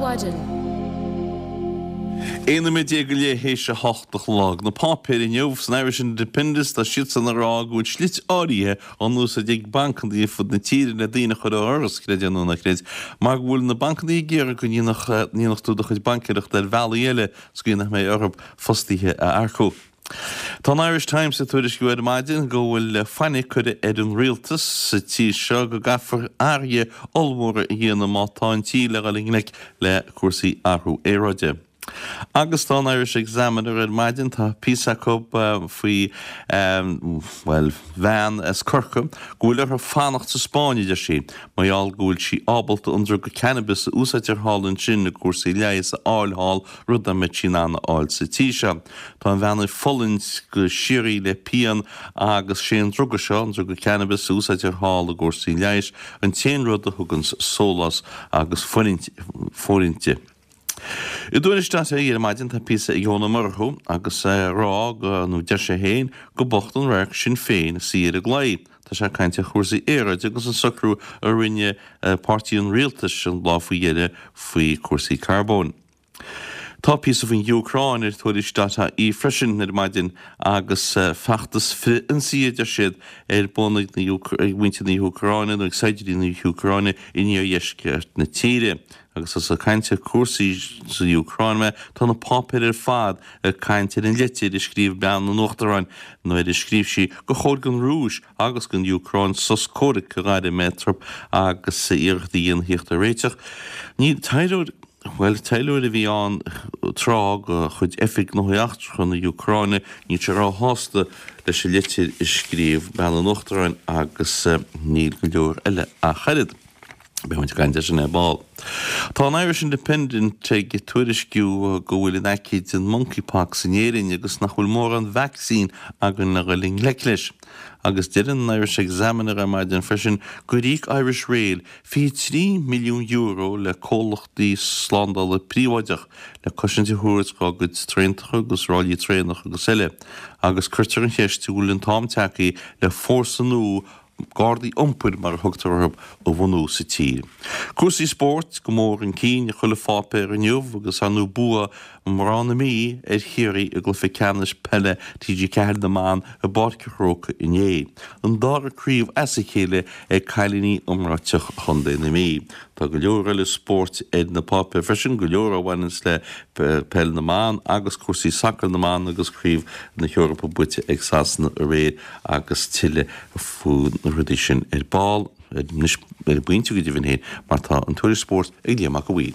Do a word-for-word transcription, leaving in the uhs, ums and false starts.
Mhaidin. Aon nóiméad déag go leith théis a hocht a chlog. Na páipéir inniu san Irish Independent tá siadsan ag rá go bhfuil slite áirithe á n-úsáid ag bancanna ar fud na tíre le daoine a chur ó dhoras, creid é nó ná creid, mar go bhfuil na bancanna ag iarraidh go ndéanfadh tú do chuid baincéireachta ar bhealaí eile sa gcaoi nach mbeidh orthu fostaithe a earcú. Tá an Irish Times ag tuairisciú ar maidin go bhfuil fainic curtha ar an rialtas sa tír seo go gcaithfear athruithe ollmhóra a dhéanamh má tá an tír le dhul i ngleic le cúrsaí athrú aeráide. Agus tá an Irish Examiner ar maidin tá píosa acu faoi bhuel bhean as Corcaigh go bhfuil uirthi fanacht sa Spáinn a deir sí, mar gheall go bhfuil sí ábalta an druga cannabis a úsáidtear thall ansin i gcúrsaí leighis a fháil thall rud nach mbeadh sí in ann a fháil sa tír seo. Tá an bhean ag fulaingt go síoraí le pian agus sé an druga seo, an druga cannabis a úsáidtear thall i gcúrsaí leighis, an t-aon rud a thugann sólás agus fóirithint di. I dTuairisc dot ie ar maidin tá píosa ag Eoin Ó Murchú agus é ag rá go, nó deir sé féin, go bocht an radharc Sinn Féin ag suí ar an gclaí. Tá sé ag caint ar chúrsaí aeráide agus an socrú a rinne páirtí an rialtais an lá faoi dheireadh faoi chúrsaí carbóin. Tá píosa faoin Úcráin ar Tuairisc dot ie freisin ar maidin agus feachtas frith-ionsaí a deir siad ar bun ag muintir na hÚcráine nó ag saighdiúirí na hÚcráine in iardheisceart na tíre. Agus is ag caint ar chúrsaí sa Úcráin mé, tá na páipéir ar fad ag caint ar an litir a scríobh bean an Uachtaráin nuair a scríobh sí gur chóir don Rúis agus don Úcráin sos comhraic a ghairm eatarthu agus iarracht a dhéanamh theacht ar réiteach. Níl taidhleoir Bhuel, taidhleoir a bhí ann tráth de chuid Oifig Gnóthaí Eachtracha na hÚcráine, níl sé róshásta leis an litir a scríobh bean an Uachtaráin agus níl go leor eile ach oiread. Beidh muid ag caint air sin ar ball. Tá an Irish Independent ag tuairisciú go bhfuil in aice den monkeypox in Éirinn agus nach bhfuil mórán vacsaín againn le dhul i ngleic leis. Agus deir an Irish Examiner ar maidin freisin gur íoc Irish Rail fiche trí milliún euro le comhlachtaí slándála príobháideach le cosaint a thabhairt dá gcuid traentacha agus ráillí traenach agus eile agus cuirtear an cheist an bhfuil an t-am tagtha le fórsa nua Gardaí iompair, mar a thugtar orthu, a bhunú sa tír. Cúrsaí spóirt go mór chun cinn i chuile pháipéar inniu agus ar ndóigh bua mná na Mí ar Chiarraí i gcluiche ceannais peile T G ceathair na mBan i bPáirc an Chrócaigh inné. An dara craobh as a chéile ag cailíní iomráiteach Chontae na Mí. Tá go leor eile spóirt ar na páipéir freisin, go leor a bhaineanns le peil na mban agus cúrsaí sacair na mban agus craobh na hEorpa buaite ag Sasana aréir agus tuilleadh faoi na rudaí sin ar ball, anois ar an bpointe go deimhin féin, mar tá an tuairisc spóirt ag Liam Mac a' Mhaoil.